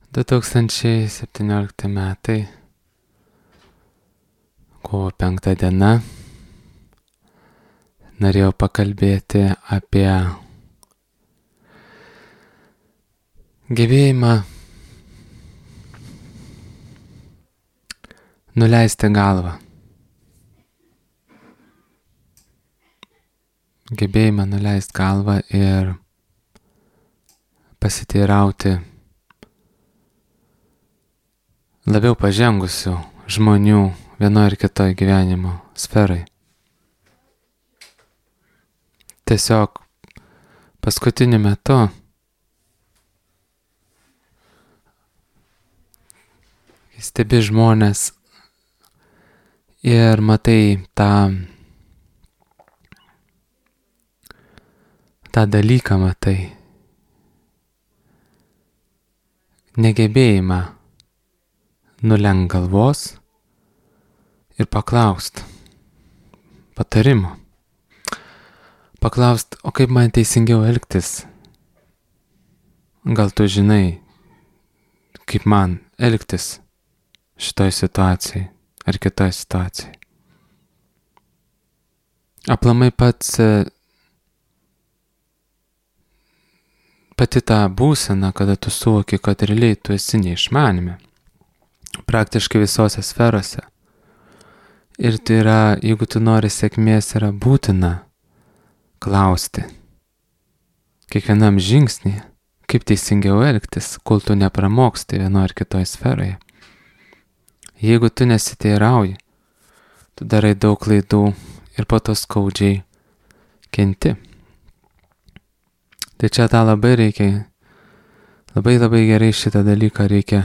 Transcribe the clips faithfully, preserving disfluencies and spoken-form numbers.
du tūkstančiai septyniolikti metai, kovo penkta diena, norėjau pakalbėti apie gebėjimą nuleisti galvą. Gebėjimą nuleisti galvą ir pasiteirauti labiau pažengusių žmonių vienoje ar kitoje gyvenimo sferai. Tiesiog paskutiniu metu stebi žmonės ir matai tą, tą dalyką matai, negebėjimą nulenkt galvos ir paklaust patarimo. Paklaust, o kaip man teisingiau elgtis? Gal tu žinai, kaip man elgtis šitoj situacijai ar kitoj situacijai? Aplamai pats pati ta būsena, kada tu suvoki, kad realiai tu esi neišmanime, praktiškai visose sferose. Ir tai yra, jeigu tu nori sėkmės, yra būtina klausti kiekvienam žingsnį, kaip teisingiau elgtis, kol tu nepramoksti vienoje ar kitoje sferoje. Jeigu tu nesiteirauji, tu darai daug klaidų ir po to skaudžiai kenti. Tai čia tą labai reikia, labai labai gerai šitą dalyką reikia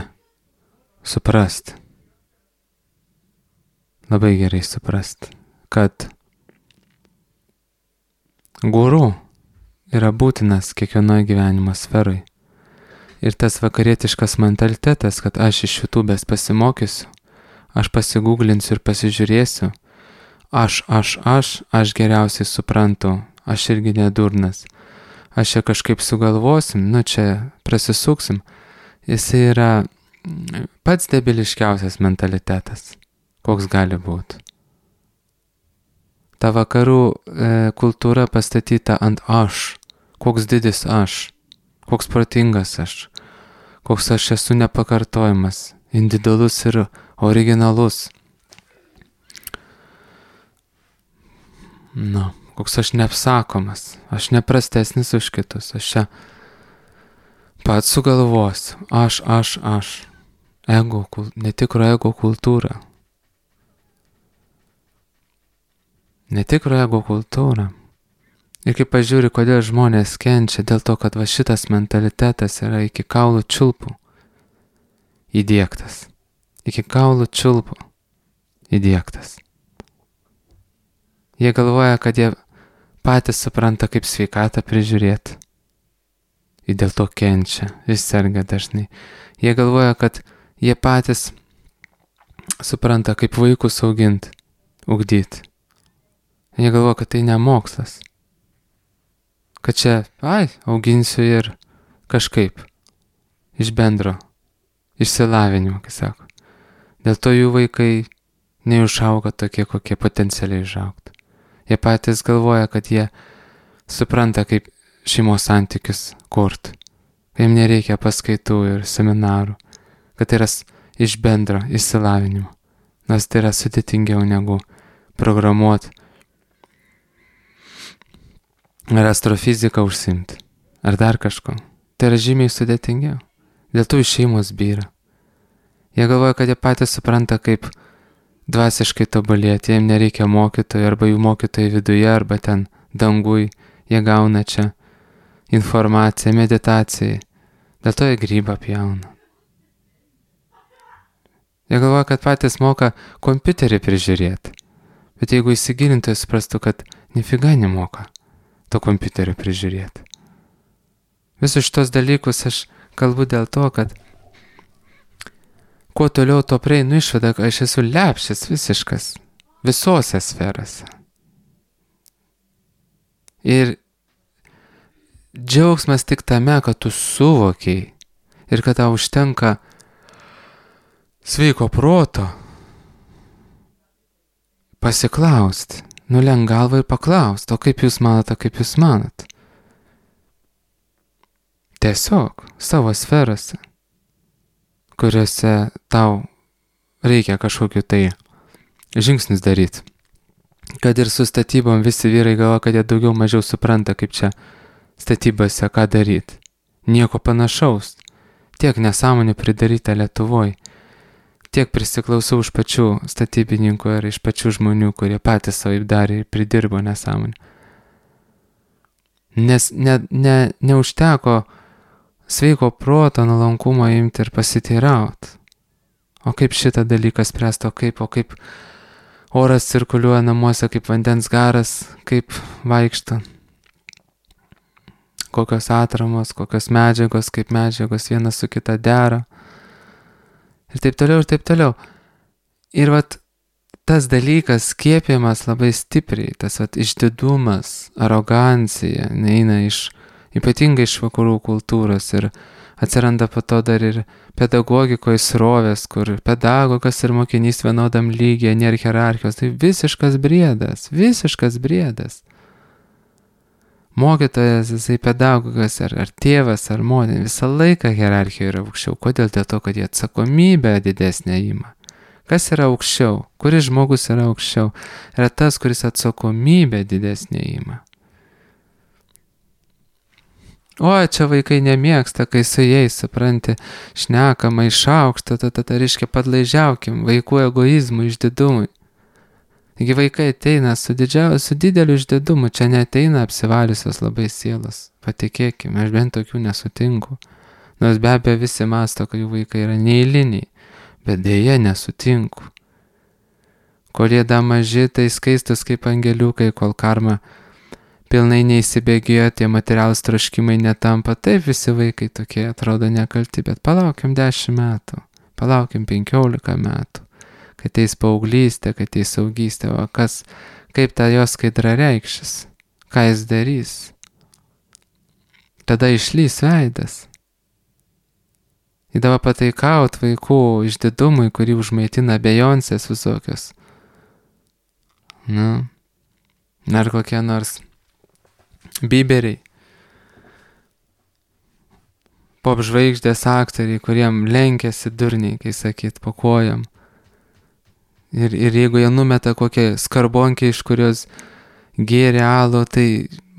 suprasti. Labai gerai suprasti, kad guru yra būtinas kiekvienoje gyvenimo sferai. Ir tas vakarietiškas mentalitetas, kad aš iš YouTube'ės pasimokysiu, aš pasigūglinsiu ir pasižiūrėsiu, aš, aš, aš, aš geriausiai suprantu, aš irgi nedurnas, aš čia kažkaip sugalvosim, nu čia prasisuksim, jis yra pats debiliškiausias mentalitetas, koks gali būti. Ta vakarų e, kultūra pastatyta ant aš, koks didis aš, koks protingas aš, koks aš esu nepakartojamas, individualus ir originalus. Nu, koks aš neapsakomas, aš neprastesnis už kitus, aš čia pats sugalvosiu, aš, aš, aš, ego, netikro ego kultūra. Netikro ego kultūra. Ir kai pažiūri, kodėl žmonės kenčia, dėl to, kad va šitas mentalitetas yra iki kaulų čiulpų įdiegtas. Iki kaulų čiulpų įdiegtas. Jie galvoja, kad jie patys supranta, kaip sveikatą prižiūrėti. Ir dėl to kenčia, vis serga dažnai. Jie galvoja, kad jie patys supranta, kaip vaikus auginti, ugdyti. Jie galvoja, kad tai ne mokslas. Kad čia, ai, auginsiu ir kažkaip, iš bendro, išsilavinimo, kaip sako. Dėl to jų vaikai neužauga tokie, kokie potencialiai užaugtų. Jie patys galvoja, kad jie supranta, kaip šeimos santykius kurt. Jiem nereikia paskaitų ir seminarų, kad tai yra iš bendro išsilavinimo. Nors tai yra sudėtingiau negu programuoti ar astrofiziką užsimti, ar dar kažko. Tai yra žymiai sudėtingiau. Dėl to šeimos byra. Jie galvoja, kad jie patys supranta, kaip dvasiškai tobulėti, jiems nereikia mokytojų, arba jų mokytojai viduje, arba ten dangui, jie gauna čia informaciją, meditacijai. Dėl to jie grybą pjauna. Jie galvoja, kad patys moka kompiuterį prižiūrėti. Bet jeigu įsigilintų, jie suprastų, kad nifiga nemoka to kompiuterio prižiūrėti. Visus šitos dalykus aš kalbu dėl to, kad kuo toliau to prieinu išvada, kad aš esu lepšis visiškas visose sferose. Ir džiaugsmas tik tame, kad tu suvokiai ir kad tau užtenka sveiko proto pasiklausti, nulenk galvą ir paklausti, o kaip jūs manot, o kaip jūs manot. Tiesiog savo sferose, kuriuose tau reikia kažkokiu tai žingsnis daryti. Kad ir su statybom visi vyrai galvo, kad jie daugiau mažiau supranta, kaip čia statybose ką daryti. Nieko panašaus. Tiek nesąmonių pridaryta Lietuvoje. Tiek prisiklausau iš pačių statybininkų ir iš pačių žmonių, kurie patys savo darė ir pridirbo nesąmonę. Nes ne, ne, neužteko sveiko proto nuolankumo imti ir pasiteirauti. O kaip šitą dalyką spręsti, o kaip, o kaip oras cirkuliuoja namuose, kaip vandens garas, kaip vaikšto. Kokios atramos, kokios medžiagos, kaip medžiagos viena su kita dera. Ir taip toliau, ir taip toliau. Ir vat tas dalykas skiepiamas labai stipriai, tas vat išdidumas, arogancija, neina iš, ypatingai iš vakarų kultūros ir atsiranda po to dar ir pedagogikoje srovės, kur pedagogas ir mokinys vienodam lygyje, nėra hierarchijos. Tai visiškas briedas, visiškas briedas. Mokytojas, jisai pedagogas, ar, ar tėvas, ar motina, visą laiką hierarchija yra aukščiau. Kodėl? Dėl to, kad jie atsakomybę didesnę ima. Kas yra aukščiau? Kuris žmogus yra aukščiau? Yra tas, kuris atsakomybę didesnę ima. O, čia vaikai nemėgsta, kai su jais, supranti, šnekama iš aukšto, ta, ta, ta, reiškia, padlaižiaukim vaikų egoizmui, išdidumui. Taigi vaikai ateina su, didžiau, su dideliu išdidumu, čia neateina apsivaliusios labai sielos, patikėkime, aš bent tokių nesutinku. Nors be abejo visi masto, kad jų vaikai yra neeiliniai, bet dėja nesutinku. Kol jie da maži, tai skaistus kaip angeliukai, kol karma pilnai neįsibėgėjo, tie materialūs troškimai netampa, taip visi vaikai tokie atrodo nekalti, bet palaukim dešimt metų, palaukim penkiolika metų, kad ateis paauglystė, kad ateis saugystė, o kas, kaip ta jos skaidra reikšis, ką jis darys. Tada išlys veidas. Įdava pataikaut vaikų išdidumui, kurį užmaitina Beyoncės visokios. Nu, ar kokie nors Biberiai, pop žvaigždės aktoriai, kuriem lenkiasi durniai, kai sakyt, po kojam. Ir, ir jeigu jie numeta kokią skarbonkę, iš kurios gėrė alų, tai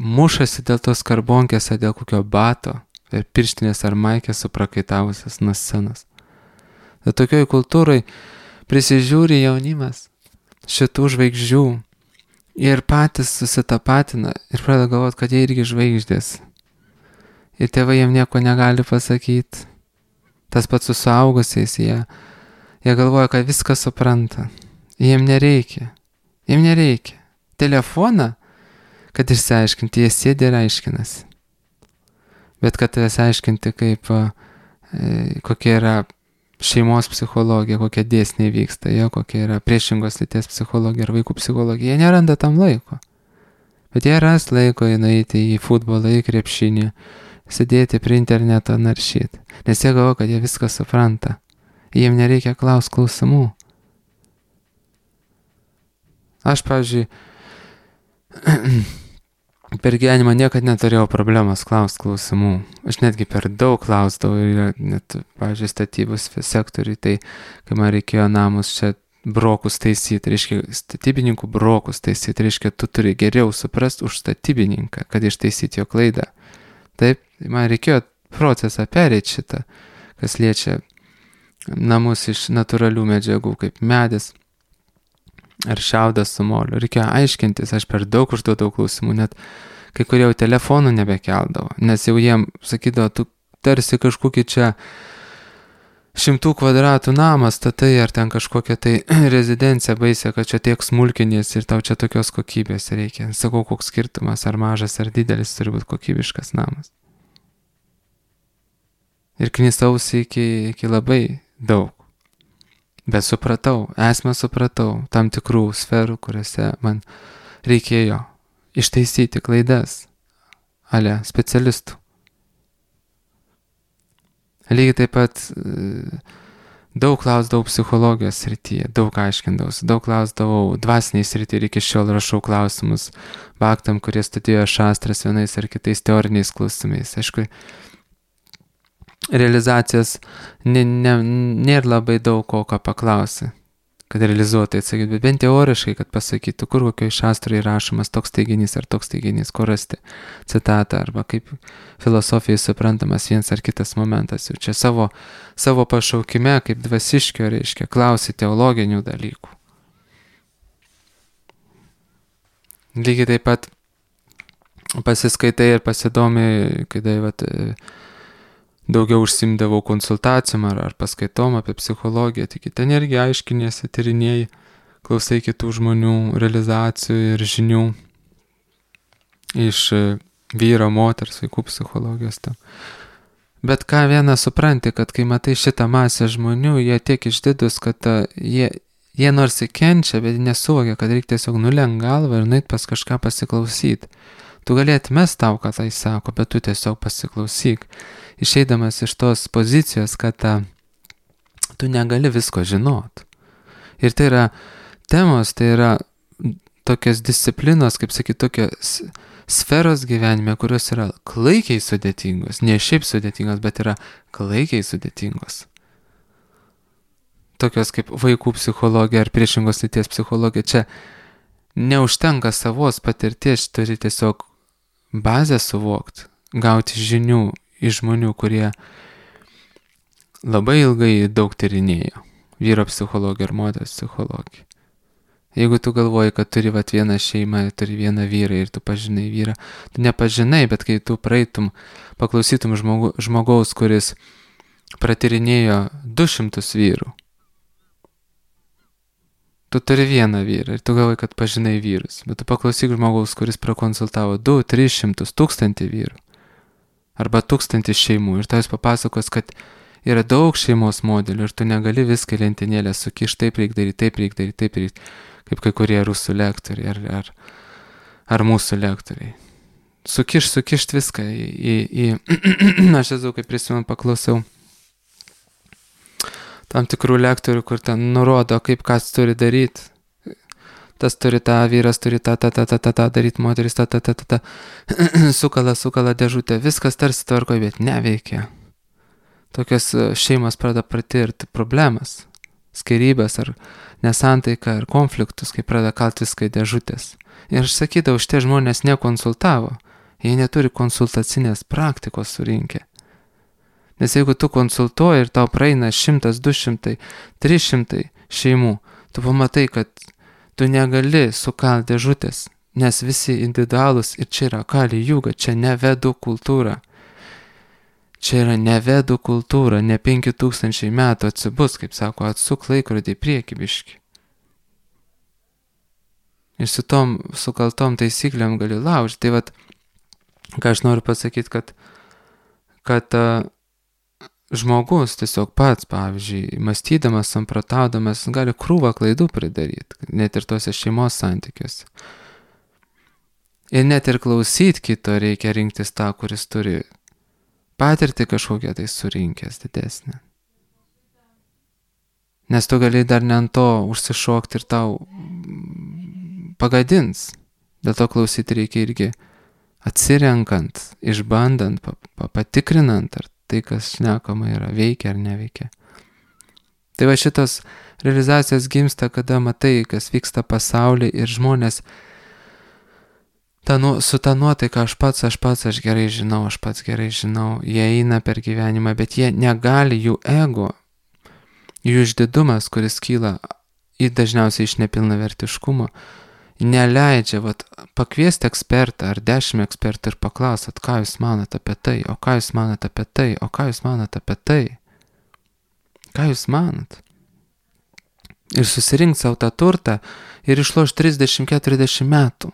mušasi dėl tos skarbonkės, dėl kokio bato, ir pirštinės ar maikės suprakaitavusias nuo scenos. Tai tokioj kultūrai prisižiūri jaunimas šitų žvaigždžių. Ir patys susitapatina ir pradeda galvoti, kad jie irgi žvaigždės. Ir tėvai jiem nieko negali pasakyti. Tas pats su suaugusiais, jie, jie galvoja, kad viską supranta. Jiem nereikia. Jiem nereikia. Telefoną, kad išsiaiškinti, jie sėdi ir aiškinasi. Bet kad jas aiškinti, kaip, e, kokia yra šeimos psichologija, kokie dėsniai vyksta, jo, kokia yra priešingos lyties psichologija ir vaikų psichologija, jie neranda tam laiko. Bet jie ras laiko nueiti į futbolą, į krepšinį, sėdėti prie interneto, naršyti. Nes jie galvo, kad jie viską supranta. Jiem nereikia klaus klausimų. Aš, pavyzdžiui, per gyvenimą niekad neturėjau problemos klaust klausimų. Aš netgi per daug klausdavau ir net, pavyzdžiui, statybos sektoriui, tai kai man reikėjo namus čia brokus taisyti, reiškia, statybininkų brokus taisyti, reiškia, tu turi geriau suprasti už statybininką, kad ištaisyti jo klaidą. Taip, man reikėjo procesą pereiti šitą, kas liečia namus iš natūralių medžiagų, kaip medis ar šiaudas su moliu. Reikėjo aiškintis, aš per daug užduodavau klausimų, net kai kurie jau telefonų nebekeldavo, nes jau jiem sakydavo, tu tarsi kažkokį čia šimtų kvadratų namą statai, ar ten kažkokią tai rezidenciją baisę, kad čia tiek smulkinės ir tau čia tokios kokybės reikia. Sakau, koks skirtumas, ar mažas, ar didelis turi būti kokybiškas namas. Ir knisausi iki, iki labai daug. Bet supratau, esmę supratau tam tikrų sferų, kuriuose man reikėjo ištaisyti klaidas, ale specialistų. Lygiai taip pat e, daug klausdavau psichologijos srityje, daug aiškindavausi, daug klausdavau dvasiniai srityje ir iki šiol rašau klausimus baktam, kurie studijuoja šastras vienais ar kitais teoriniais klausimais. Aišku, realizacijos nė, nė, nėra labai daug ko, ką paklausi, kad realizuotai atsakyti, bet bent teoriškai, kad pasakytų, kur kokio šastrai rašomas toks teiginys ar toks teiginys, kur rasti citatą, arba kaip filosofijai suprantamas vienas ar kitas momentas. Jau čia savo, savo pašaukime, kaip dvasiškio, reiškia, klausi teologinių dalykų. Lygiai taip pat pasiskaitai ir pasidomi, kai vat, daugiau užsimdavau konsultacijom ar, ar paskaitom apie psichologiją, tik ten irgi aiškinėsi, tyrinėjai, klausai kitų žmonių realizacijų ir žinių iš vyro, moters, vaikų psichologijos. Tam. Bet ką vieną supranti, kad kai matai šitą masę žmonių, jie tiek išdidus, kad ta, jie, jie nors įkenčia, bet nesuvokia, kad reikia tiesiog nulenkt galvą ir nueit pas kažką pasiklausyti. Tu gali atmest tau, ką tai sako, bet tu tiesiog pasiklausyk. Išeidamas iš tos pozicijos, kad ta, tu negali visko žinot. Ir tai yra temos, tai yra tokios disciplinos, kaip sakyti, tokios sferos gyvenime, kurios yra klaikiai sudėtingos. Ne šiaip sudėtingos, bet yra klaikiai sudėtingos. Tokios kaip vaikų psichologija ar priešingos lyties psichologija. Čia neužtenka savos patirties, turi tiesiog bazę suvokti, gauti žinių iš žmonių, kurie labai ilgai daug tyrinėjo. Vyro psichologija ir moters psichologija. Jeigu tu galvoji, kad turi vat vieną šeimą, turi vieną vyrą ir tu pažinai vyrą, tu nepažinai, bet kai tu praeitum, paklausytum žmogu, žmogaus, kuris pratyrinėjo du šimtus vyrų, tu turi vieną vyrą ir tu galvoji, kad pažinai vyrus, bet tu paklausyk žmogaus, kuris prakonsultavo du, tris šimtus, tūkstantį vyrų arba tūkstantį šeimų ir tavęs papasakos, kad yra daug šeimos modelių ir tu negali viską lentynėlę sukišti, taip reikia daryti, taip reikia daryti, taip reikia, kaip kai kurie rusų lektoriai ar, ar, ar mūsų lektoriai. Sukiš, sukišt viską į... į, į aš esu, kaip prisimenu, paklausiau tam tikrų lektorių, kur ten nurodo, kaip kas turi daryti. Tas turi tą, vyras turi tą, tą, tą, tą, tą, tą daryti, moteris tą, tą, tą, tą, tą. Sukala, sukala dėžutę, viskas tarsi tvarkoja, bet neveikia. Tokios šeimos pradeda patirti problemas, skyrybas ar nesantaiką ar konfliktus, kai pradeda kalti viską į dėžutės. Ir aš sakydavau, šitie žmonės nekonsultavo, jie neturi konsultacinės praktikos surinkę. Nes jeigu tu konsultuoji ir tau praeina šimtas, du šimtai, trys šimtai šeimų, tu pamatai, kad tu negali sukalti dėžutės, nes visi individualūs ir čia yra kali juga, čia ne vedų kultūra. Čia yra ne vedų kultūra, ne penki tūkstančiai metų atsibus, kaip sako, atsuk laikrodį į priekį biškį. Ir su tom sukaltom taisyklėm gali laužti. Tai vat, ką aš noriu pasakyti, kad, kad uh, žmogus tiesiog pats, pavyzdžiui, mąstydamas, samprotaudamas, gali krūvą klaidų pridaryti, net ir tuose šeimos santykiuose. Ir net ir klausyti kito reikia rinktis tą, kuris turi patirtį kažkokią tai surinkęs didesnę. Nes tu gali dar ne ant to užsišokti ir tau pagadins. Dėl to klausyti reikia irgi atsirenkant, išbandant, patikrinant, ar tai, kas šnekama yra, veikia ar neveikia. Tai va šitos realizacijos gimsta, kada matai, kas vyksta pasaulyje ir žmonės ta, nu, su ta nuotaika aš pats, aš pats, aš gerai žinau, aš pats gerai žinau, jie eina per gyvenimą, bet jie negali, jų ego, jų išdidumas, kuris kyla į dažniausiai iš nepilnavertiškumo, neleidžia vat, pakviesti ekspertą ar dešimt ekspertų ir paklausat, ką jūs manat apie tai, o ką jūs manat apie tai, o ką jūs manat apie tai, ką jūs manat. Ir susirinkti savo tą turtą ir išlošti trisdešimt keturiasdešimt metų.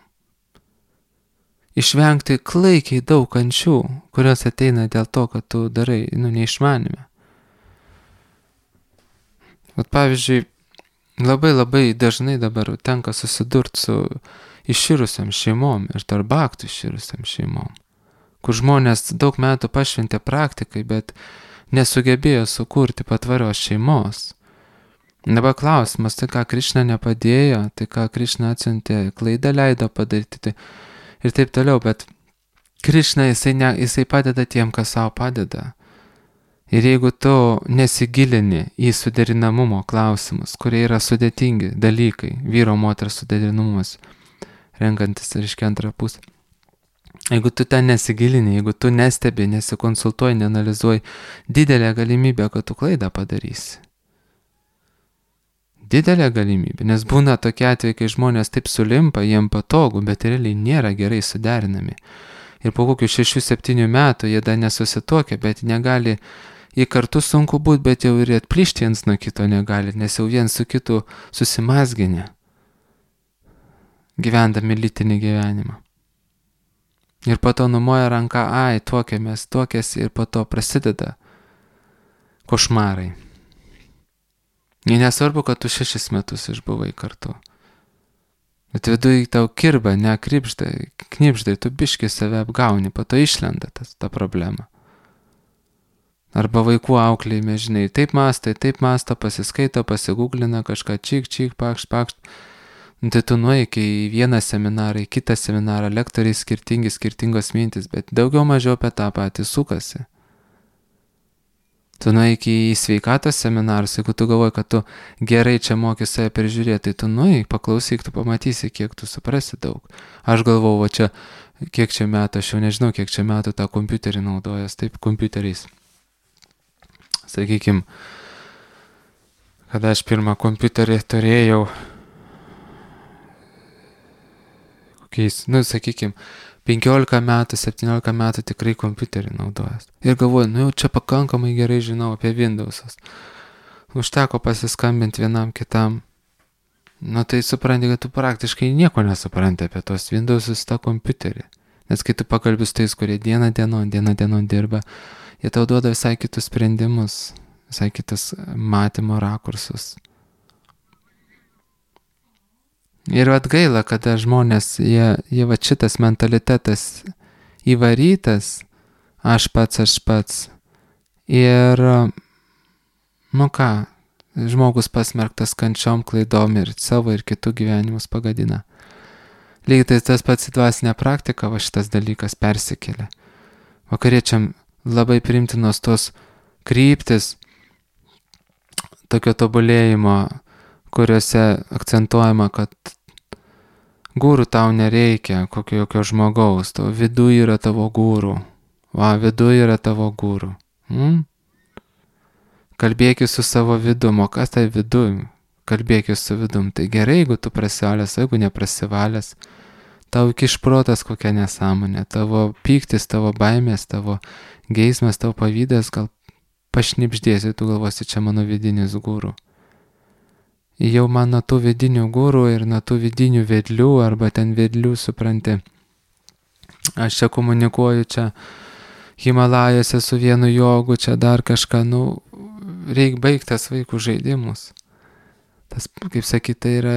Išvengti klaikiai daug kančių, kurios ateina dėl to, kad tu darai, nu, neišmanime. Vat pavyzdžiui, labai labai dažnai dabar tenka susidurti su iširusiam šeimom ir tarp baktų iširusiam šeimom, kur žmonės daug metų pašventė praktikai, bet nesugebėjo sukurti patvarios šeimos. Dabar klausimas, tai ką Krišna nepadėjo, tai ką Krišna atsiuntė, klaidą leido padaryti tai, ir taip toliau, bet Krišna jisai, ne, jisai padeda tiem, kas savo padeda. Ir jeigu tu nesigilini į suderinamumo klausimus, kurie yra sudėtingi dalykai, vyro moters suderinamumas, renkantis, reiškia, antrą pusę. Jeigu tu ten nesigilini, jeigu tu nestebi, nesikonsultuoji, neanalizuoji, didelė galimybė, kad tu klaidą padarysi. Didelė galimybė, nes būna tokie atvejai, kai žmonės taip sulimpa, jiem patogu, bet realiai nėra gerai suderinami. Ir po kokių šešių septynių metų jie dar nesusituokia, bet negali, jie kartu sunku būti, bet jau ir atplyšti viens nuo kito negali, nes jau viens su kitu susimazginė, gyvendami lytinį gyvenimą. Ir po to numoja ranką, ai, tuokėmės, tuokėsi ir po to prasideda košmarai. Ir nesvarbu, kad tu šešis metus išbuvai kartu. Bet viduje tau kirba, ne kripždai, knipždai, tu biški save apgauni, po to išlenda tas, ta problema. Arba vaikų auklėjime, žinai, taip mastai, taip masta, pasiskaito, pasigūglina kažką, čik, čik, pakšt, pakšt. Tai tu nueiki į vieną seminarą, į kitą seminarą, lektoriai skirtingi, skirtingos mintis, bet daugiau mažiau apie tą patį sukasi. Tu nueiki į sveikatos seminarus, jeigu tu galvoji, kad tu gerai čia moki save peržiūrėti, tai tu nueik, paklausyk, tu pamatysi, kiek tu suprasi daug. Aš galvoju, va čia, kiek čia metų, aš jau nežinau, kiek čia metų tą kompiuterį naudojas, taip, kompiuteriais. Sakykim, kada aš pirmą kompiuterį turėjau, kokiais, nu, sakykim, penkiolika metų, septyniolika metų tikrai kompiuterį naudojas. Ir galvoju, nu jau čia pakankamai gerai žinau apie Windows'us. Užteko pasiskambinti vienam kitam. Nu tai supranti, kad tu praktiškai nieko nesupranti apie tos Windows'us, tą kompiuterį. Nes kai tu pakalbi su tais, kurie dieną dienon, dieną dienon dirba, jie tau duoda visai kitus sprendimus, visai kitus matymo rakursus. Ir atgaila, kada žmonės, jie, jie va šitas mentalitetas įvarytas, aš pats, aš pats. Ir, nu ką, žmogus pasmerktas kančiom, klaidom ir savo ir kitų gyvenimus pagadina. Lygiai tai tas pats į dvasinę praktiką, va šitas dalykas persikelia. Vakariečiam labai priimtinos tos kryptis tokio tobulėjimo, kuriuose akcentuojama, kad gūrų tau nereikia, kokio jokio žmogaus, tavo viduje yra tavo gūrų, va, viduje yra tavo gūrų. Hmm? Kalbėkis su savo vidum, o kas tai vidum? Kalbėkis su vidum, tai gerai, jeigu tu prasivalęs, jeigu neprasivalęs, tau kišprotas kokia nesąmonė, tavo pyktis, tavo baimės, tavo geismas, tavo pavydas, gal pašnipždėsi, tu galvosi, čia mano vidinis gūrų. Jau man nuo tų vidinių gūrų ir nuo tų vidinių vedlių, arba ten vedlių, supranti, aš čia komunikuoju, čia Himalajose su vienu jogu, čia dar kažką, nu, reik baigtas vaikų žaidimus. Tas, kaip sakyti, tai yra,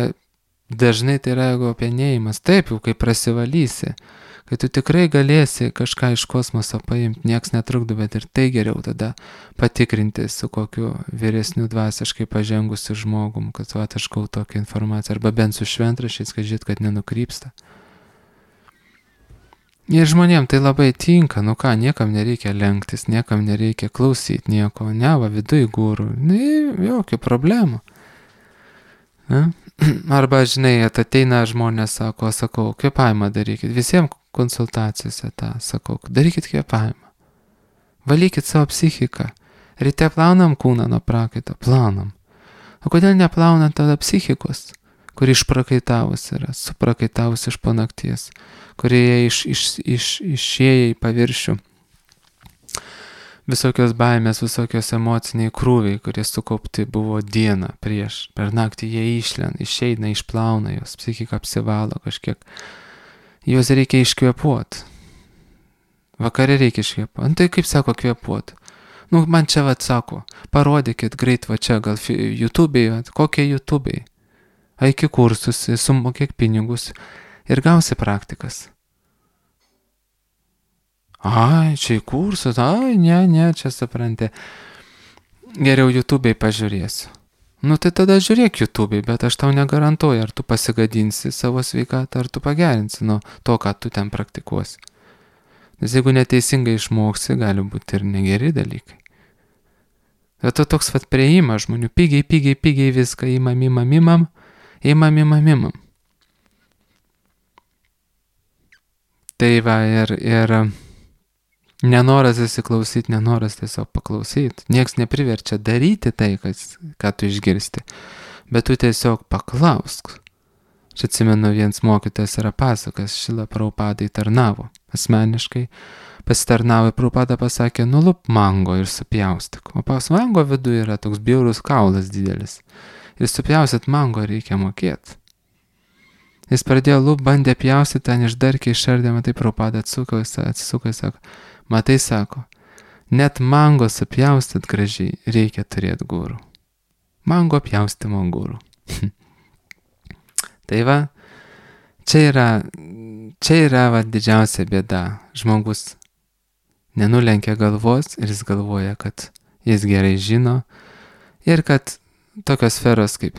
dažnai tai yra ego penėjimas, taip jau, kai prasivalysi, kai tu tikrai galėsi kažką iš kosmoso paimti, nieks netrukdo, bet ir tai geriau tada patikrinti su kokiu vyresniu dvasiškai pažengusiu žmogum, kad va, aš gau tokią informaciją, arba bent su šventrašiais, kad žit, kad nenukrypsta. Ir žmonėm tai labai tinka, nu ką, niekam nereikia lenktis, niekam nereikia klausyti nieko, ne, va, viduj gūrų, ne, jokių problemų. Ne? Arba, žinai, ateina žmonės, sako, sakau, kvėpavimą darykit, visiems konsultacijose tą, sakau, darykit kvėpavimą, valykit savo psichiką, ryte plaunam kūną nuo prakaito, plaunam. O kodėl neplaunam tada psichikos, kuri išprakaitavus yra, suprakaitavus iš po nakties, kurie iš, iš, iš, išėję į paviršių visokios baimės, visokios emociniai krūviai, kurie sukaupti buvo dieną prieš, per naktį jie išlenda, išeina, išplauna, jos psichika apsivalo kažkiek. Juos reikia iškvėpuoti. Vakare reikia iškvėpuoti. Tai kaip sako kvėpuoti? Nu, man čia vat sako, parodykit greit va čia, gal YouTube'ai, kokie YouTube'ai. Eiki kursus, sumokėk pinigus ir gausi praktikas. Ai, čia į kursus, ai, ne, ne, čia supranti. Geriau YouTube'ai pažiūrėsiu. Nu tai tada žiūrėk YouTube'ai, bet aš tau negarantuoju, ar tu pasigadinsi savo sveikatą, ar tu pagerinsi nuo to, ką tu ten praktikuosi. Nes jeigu neteisingai išmoksi, gali būti ir negeri dalykai. Bet to toks vat prieimas žmonių, pigiai, pigiai, pigiai viską imam, imam, imam, imam, imam, imam. Tai va ir, ir nenoras įsiklausyti, nenoras tiesiog paklausyti. Niekas nepriverčia daryti tai, kas, ką tu išgirsti, bet tu tiesiog paklausk. Aš atsimenu, vienas mokytojas yra pasakas, Šila Prabhupadai tarnavo. Asmeniškai pasitarnavo ir Prabhupada pasakė, nulup mango ir supjaustyk. O pas mango viduje yra toks bjaurus kaulas didelis. Ir supjausit mango reikia mokėti. Jis pradėjo lup, bandė pjaustyti, ten išdarkė, išardė, matai, Prabhupada atsuko, atsisuko ir sako, matai, sako, net mango supjaustyt gražiai reikia turėti gurų. Mango pjaustimo gurų. Tai va, čia yra, čia yra va, didžiausia bėda. Žmogus nenulenkia galvos ir jis galvoja, kad jis gerai žino ir kad tokios sferos kaip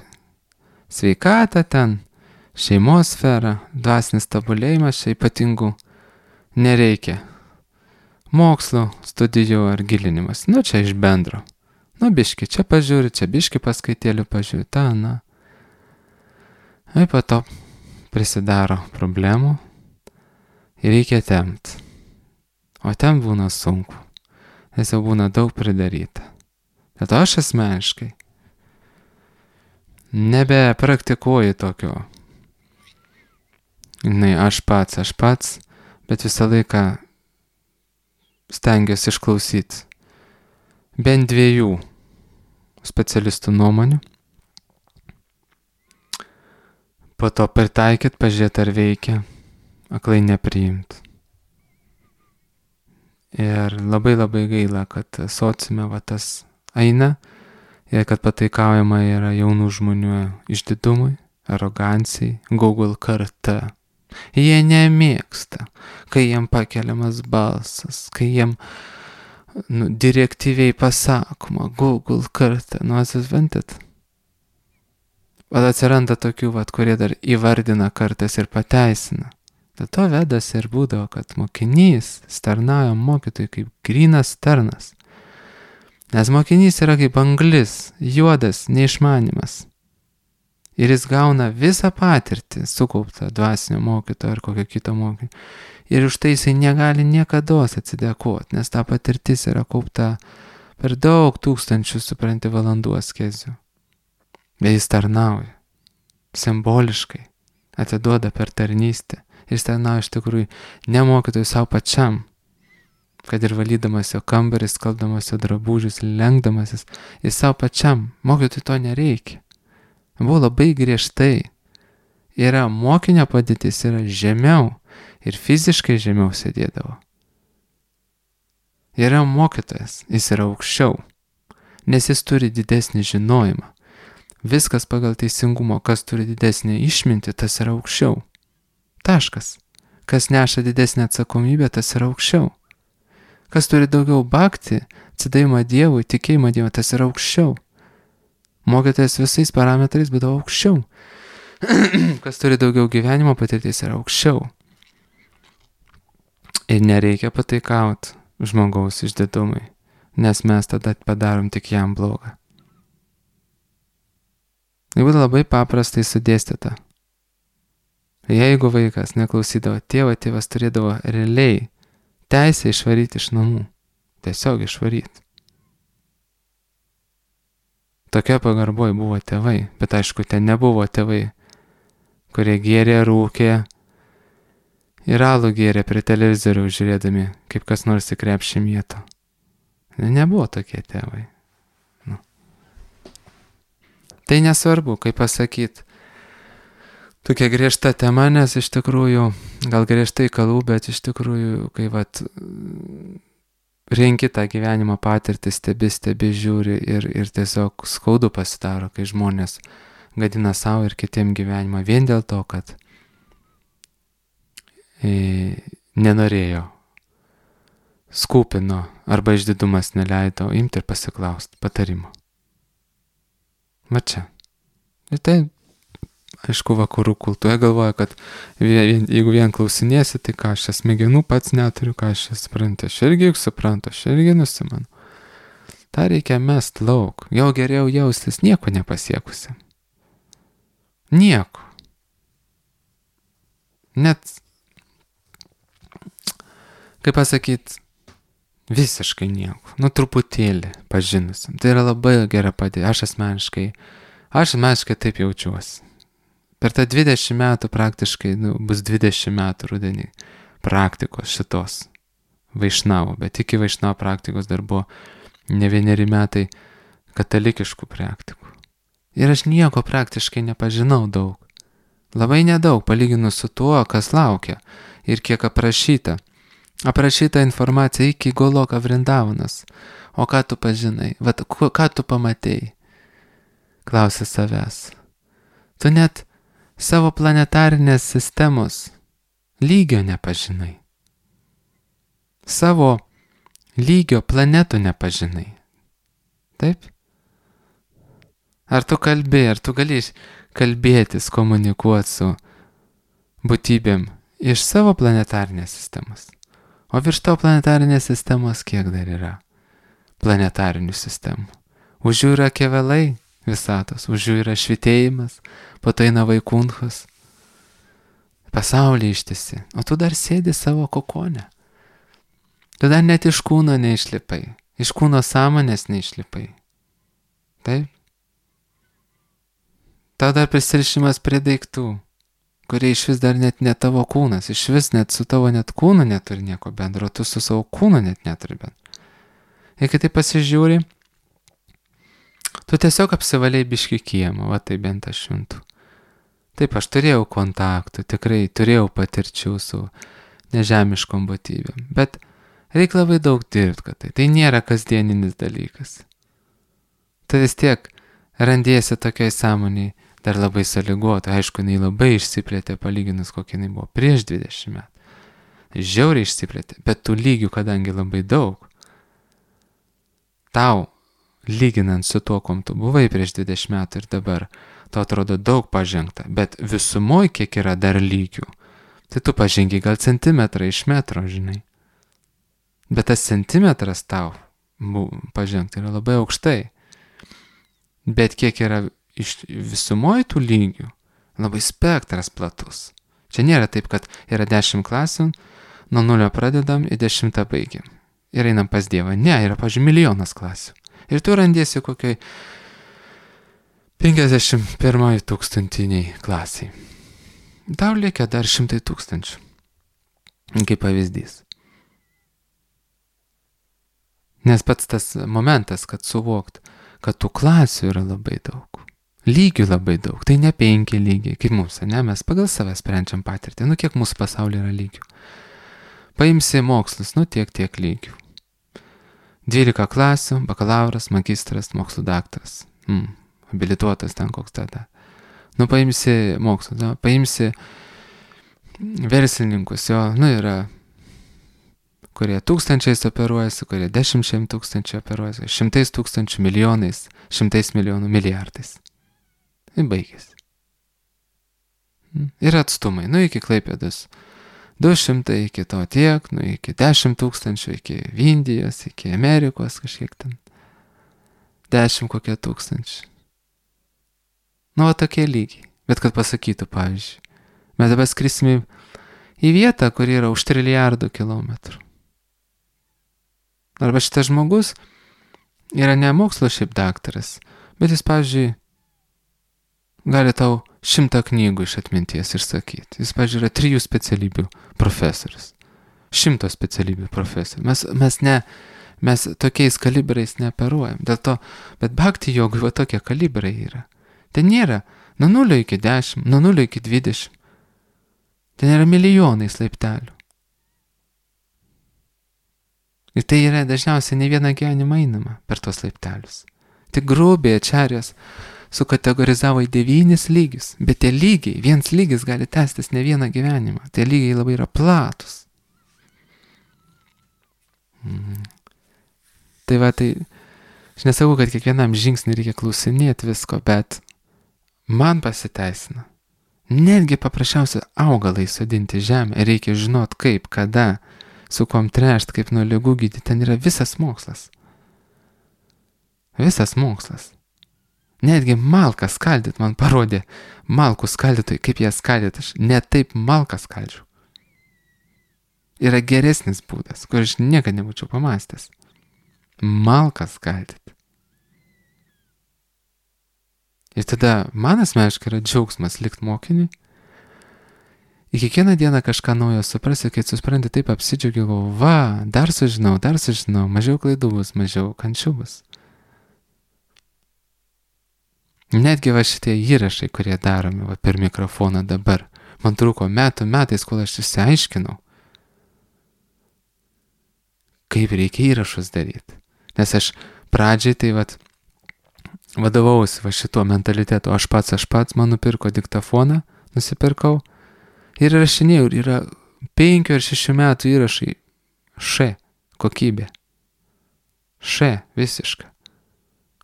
sveikata ten, šeimos sfera, dvasinis tobulėjimas čia ypatingų nereikia. Mokslo, studijų ar gilinimas. Nu, čia iš bendro. Nu, biški čia pažiūri, čia biški paskaitėlių pažiūri, ta, na. Ir po to prisidaro problemų ir reikia tempt. O ten būna sunku. Nes jau būna daug pridaryta. Bet aš asmeniškai nebepraktikuoju tokio. Žinai, aš pats, aš pats, bet visą laiką stengiuosi išklausyti bent dviejų specialistų nuomonių. Po to pritaikyti, pažiūrėti, ar veikia, aklai nepriimti. Ir labai labai gaila, kad sociume va tas eina ir kad pataikaujama yra jaunų žmonių išdidumui, arogancijai, Google karta. Jie nemėgsta, kai jiem pakeliamas balsas, kai jiem nu, direktyviai pasakoma, Google karta, nu atsisventit. O atsiranda tokių, vat, kurie dar įvardina kartas ir pateisina. Dėl to vedas ir būdavo, kad mokinys tarnauja mokytojui kaip grynas tarnas. Nes mokinys yra kaip anglis, juodas, neišmanimas. Ir jis gauna visą patirtį sukauptą dvasinio mokytojo ar kokio kito mokytojo. Ir už tai jisai negali niekados atsidėkoti, nes ta patirtis yra kaupta per daug tūkstančių, supranti, valandų askezių. Bet jis tarnauja. Simboliškai. Atiduoda per tarnystę. Ir jis tarnauja iš tikrųjų ne mokytojui savo pačiam. Kad ir valydamas jo kambarį, skalbdamas jo drabužius, lenkdamasis. Jis savo pačiam. Mokytojui to nereikia. Buvo labai griežtai. Yra mokinio padėtis, yra žemiau ir fiziškai žemiau sėdėdavo. Yra mokytojas, jis yra aukščiau, nes jis turi didesnį žinojimą. Viskas pagal teisingumą, kas turi didesnį išmintį, tas yra aukščiau. Taškas. Kas neša didesnį atsakomybę, tas yra aukščiau. Kas turi daugiau bhakti, atsidavimą Dievui, tikėjimą Dievui, tas yra aukščiau. Mokytojas visais parametrais būdavo aukščiau. Kas turi daugiau gyvenimo patirties yra aukščiau. Ir nereikia pataikauti žmogaus išdidumui, nes mes tada padarom tik jam blogą. Tai būtų labai paprastai sudėstyta. Jeigu vaikas neklausydavo tėvo, tėvas turėdavo realiai teisę išvaryti iš namų. Tiesiog išvaryti. Tokia pagarboj buvo tėvai, bet aišku, ten nebuvo tėvai, kurie gėrė, rūkė ir alų gėrė prie televizorių žiūrėdami, kaip kas nors į krepšį mėto. Nebuvo tokie tėvai. Nu. Tai nesvarbu, kaip pasakyti, tokia griežta tema, nes iš tikrųjų, gal griežtai kalbu, bet iš tikrųjų, kai vat renki tą gyvenimo patirtį, stebi, stebi, žiūri ir, ir tiesiog skaudu pasidaro, kai žmonės gadina savo ir kitiem gyvenimą vien dėl to, kad e, nenorėjo skūpino arba išdidumas neleido imti ir pasiklausti patarimo. Va čia. Ir tai, aišku, vakarų kultūra galvoja, kad vien, jeigu vien klausinėsi, tai ką aš čia smegenų pats neturiu, ką aš čia suprantu. Aš irgi juk suprantu, aš irgi nusimanu. Ta reikia mest lauk. Jau geriau jaustis nieko nepasiekusi. Nieko. Net, kaip pasakyti, visiškai nieko. Nu, truputėlį pažinusim. Tai yra labai gera padėti. Aš asmeniškai, aš asmeniškai taip jaučiuosi. Per tą dvidešimt metų praktiškai, nu, bus dvidešimt metų rudenį praktikos šitos Vaišnavo. Bet iki Vaišnavo praktikos dar buvo ne vieneri metai katalikiškų praktikų. Ir aš nieko praktiškai nepažinau daug. Labai nedaug palyginus su tuo, kas laukia ir kiek aprašyta. Aprašyta informacija iki Goloka Vrindavanas. O ką tu pažinai? Vat, ką tu pamatei? Klausia savęs. Tu net savo planetarinės sistemos lygio nepažinai. Savo lygio planetų nepažinai. Taip? Ar tu kalbėjai, ar tu gali kalbėtis, komunikuoti su būtybėm iš savo planetarinės sistemos? O virš to planetarinės sistemos kiek dar yra planetarinių sistemų? Už jų yra kevelai visatos, už jų yra švitėjimas, po to eina vaikunchas, pasaulį ištisi, o tu dar sėdi savo kokone. Tu dar net iš kūno neišlipai, iš kūno sąmonės neišlipai. Taip? Tau dar prisirišimas prie daiktų, kurie iš vis dar net ne tavo kūnas, iš vis net su tavo net kūnu neturi nieko bendro, tu su savo kūnu net neturi bendro. Ir kai tai pasižiūri, tu tiesiog apsivalėjai biškį kiemą, va tai bent aš šventu. Taip, aš turėjau kontaktų, tikrai turėjau patirčių su nežemiškom būtybėm, bet reikia labai daug dirbti, kad tai, tai nėra kasdieninis dalykas. Tu vis tiek randiesi tokiai sąmoniai, dar labai sąlygota, aišku, jinai labai išsiplėtė palyginus, kokia jinai buvo prieš dvidešimt metų. Žiauriai išsiplėtė, bet tų lygių, kadangi labai daug, tau, lyginant su tuo, kom tu buvai prieš dvidešimt metų ir dabar, tau atrodo daug pažengta, bet visumoj kiek yra dar lygių, tai tu pažengi gal centimetrą iš metro, žinai. Bet tas centimetras tau pažengti yra labai aukštai. Bet kiek yra iš visumoj tų lygių, labai spektras platus. Čia nėra taip, kad yra dešimt klasių, nuo nulio pradedam ir dešimtą baigiam. Ir einam pas Dievą. Ne, yra, pavyzdžiui, milijonas klasių. Ir tu randiesi kokiai penkiasdešimt pirmai tūkstantiniai klasiai. Tau lieka dar šimtai tūkstančių. Kaip pavyzdys. Nes pats tas momentas, kad suvokt, kad tų klasių yra labai daug. Lygių labai daug. Tai ne penki lygiai, kaip mums, ne? Mes pagal save sprendžiam patirtį. Nu, kiek mūsų pasaulyje yra lygių. Paimsi mokslus, nu, tiek, tiek lygių. dvylika klasių, bakalauras, magistras, mokslų daktaras. Hmm, habilituotas ten koks tada. Nu, paimsi mokslus, nu, paimsi verslininkus, jo, nu, yra kurie tūkstančiais operuojasi, kurie dešimčiai tūkstančių operuojasi, šimtais tūkstančių, milijonais, šimtais milijonų, milijardais. Ir baigėsi. Ir atstumai, nu iki Klaipėdos du šimtai, iki to tiek, nu iki dešimt tūkstančių, iki Indijos, iki Amerikos kažkiek ten. Dešimt kokie tūkstančių. Nu, o tokie lygiai. Bet kad pasakytų, pavyzdžiui, mes dabar skrisime į vietą, kur yra už trilijardų kilometrų. Arba šitas žmogus yra ne mokslo šiaip daktaras, bet jis, pavyzdžiui, gali tau šimtą knygų iš atminties išsakyti. Jis, pavyzdžiui, yra trijų specialybių profesorius. Šimto specialybių profesorius. Mes, mes, ne, mes tokiais kalibrais neoperuojam. Dėl to, bet bhakti jogui va tokie kalibrai yra. Ten nėra nuo nulio iki dešimt, nuo nulio iki dvidešimt. Ten yra milijonais laiptelių. Ir tai yra dažniausiai ne vieną gyvenimą einama per tos laiptelius. Tik grubiai ačarės sukategorizavo į devynis lygius, bet tie lygiai, viens lygis gali tęstis ne vieną gyvenimą. Tie lygiai labai yra platus. Mm. Tai va, tai aš nesakau, kad kiekvienam žingsnį reikia klausinėti visko, bet man pasiteisina. Netgi paprasčiausia augalai sodinti žemę, reikia žinot kaip, kada, su kuom trešt, kaip nuo ligų gydyti, ten yra visas mokslas. Visas mokslas. Netgi malką skaldyt man parodė, malkų skaldytojai, kaip ją skaldyt, aš ne taip malką skaldžiu. Yra geresnis būdas, kur aš niekada nebūčiau pamastęs. Malką skaldyt. Ir tada man asmeniškai yra džiaugsmas likt mokiniui. Ir kiekvieną dieną kažką naujo suprasi, kai supranti, taip apsidžiaugiau, va, dar sužinau, dar sužinau, mažiau klaidų bus, mažiau kančių bus. Netgi va šitie įrašai, kurie daromi va, per mikrofoną dabar, man truko metų metais, kol aš išsiaiškinau, kaip reikia įrašus daryti. Nes aš pradžiai tai vat, vadovausi va šituo mentalitetu, aš pats, aš pats, man nupirko diktafoną, nusipirkau ir rašinėjau, ir yra penkių ar šešių metų įrašai, š, kokybė, š, visiška,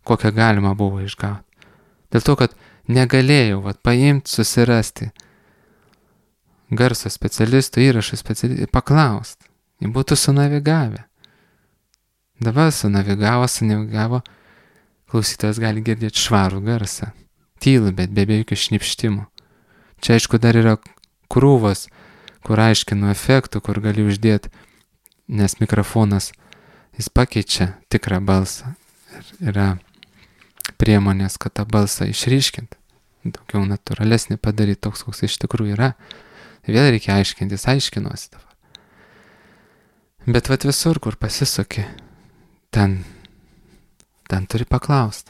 kokią galima buvo išgauti. Dėl to, kad negalėjau vat, paimti, susirasti garso specialistų, įrašų specialistų, paklausti, jie būtų sunavigavę. Dabar sunavigavo, sunavigavo, klausytojas gali girdėti švarų garsą. Tylų, bet be jokių šnipštimų. Čia aišku dar yra krūvos, kur aiškinu efektų, kur gali uždėti, nes mikrofonas, jis pakeičia tikrą balsą. Ir yra priemonės, kad tą balsą išryškinti, daugiau natūralesnį padaryti toks, koks iš tikrųjų yra. Vėl reikia aiškintis, aiškinuosi dabar. Bet vat visur, kur pasisuki, ten Ten turi paklausti.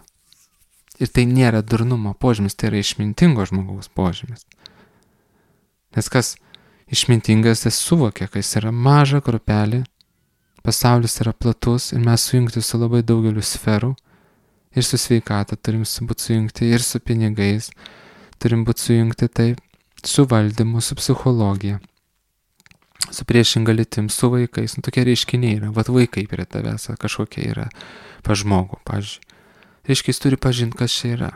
Ir tai nėra durnumo požymis, tai yra išmintingo žmogaus požymis. Nes kas išmintingas, jis suvokia, kad jis yra maža grupelė, pasaulis yra platus ir mes sujungti su labai daugeliu sferų, ir su sveikata turim būti sujungti, ir su pinigais turim būti sujungti, taip, su valdymu, su psichologija, su priešinga lytim, su vaikais. Nu, tokie reiškiniai yra, vat vaikai prie tavęs kažkokie yra pa žmogų, pavyzdžiui. Reiškia, jis turi pažinti, kas čia yra.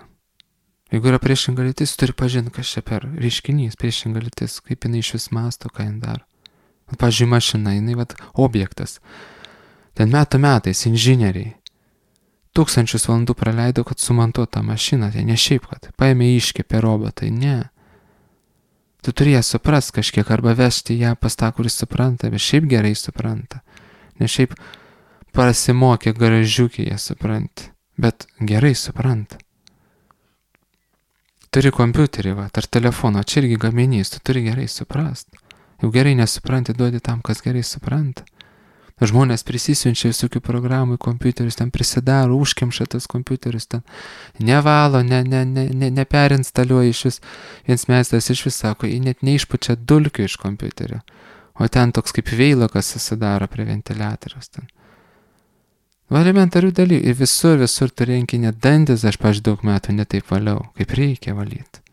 Jeigu yra priešinga lytis, jis turi pažinti, kas čia per reiškinys, priešinga lytis, kaip jinai iš vis masto, ką jin daro. Pavyzdžiui, mašina, jinai vat objektas. Ten metų metais inžinieriai tūkstančius valandų praleido, kad sumontuotų tą mašiną, tai ne šiaip, kad paėmė iškepė robotai, ne. Tu turi ją suprast kažkiek, arba vežti ją pas tą, kuris supranta, bet šiaip gerai supranta. Ne šiaip prasimokė garažiukį ją supranti, bet gerai supranta. Turi kompiuterį, va, ar telefoną, čia irgi gaminys, tu turi gerai suprast. Jau gerai nesupranti, duodi tam, kas gerai supranta. Žmonės prisisiunčia visokių programų į kompiuterius, ten prisidaro, užkemša tas kompiuterius, ten nevalo, ne, ne, ne, ne, neperinstaliuoja iš vis. Viens meistras iš vis sako, jį net neišpučia dulkių iš kompiuterio, o ten toks kaip veilokas susidaro prie ventiliatoriaus. Ten. Va, elementarių dalykų. Ir visur, visur tu renkinė dantis, aš paž daug metų netaip valiau, kaip reikia valyti.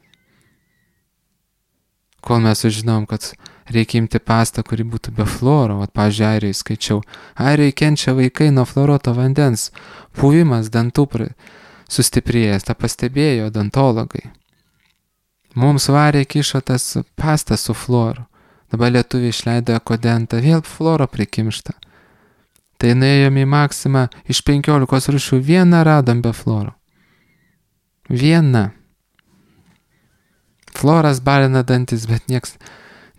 Kol mes sužinom, kad reikia imti pastą, kuri būtų be fluoro, vat, pavyzdžiui, Airijai skaičiau, Airijai kenčia vaikai nuo fluoruoto vandens, puvimas dantų sustiprėjęs, tą pastebėjo odontologai. Mums varė kišo tas pastą su fluoru, dabar lietuviai išleido ekodentą, vėl fluoro prikimšta. Tai nuėjom į Maksimą, iš penkiolikos rūšių vieną radom be fluoro. Viena. Fluoras balina dantis, bet nieks,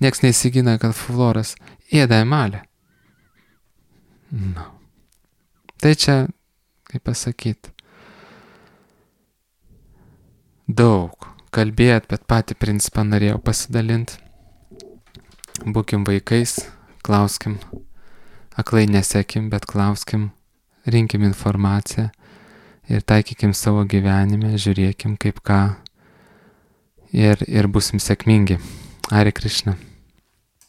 nieks neįsigina, kad fluoras ėda emalę. No. Tai čia, kaip pasakyti, daug kalbėt, bet patį principą norėjau pasidalinti. Būkim vaikais, klauskim, aklai nesekim, bet klauskim, rinkim informaciją ir taikykim savo gyvenime, žiūrėkim kaip ką. Ir, ir būsim sėkmingi. Hare Krishna.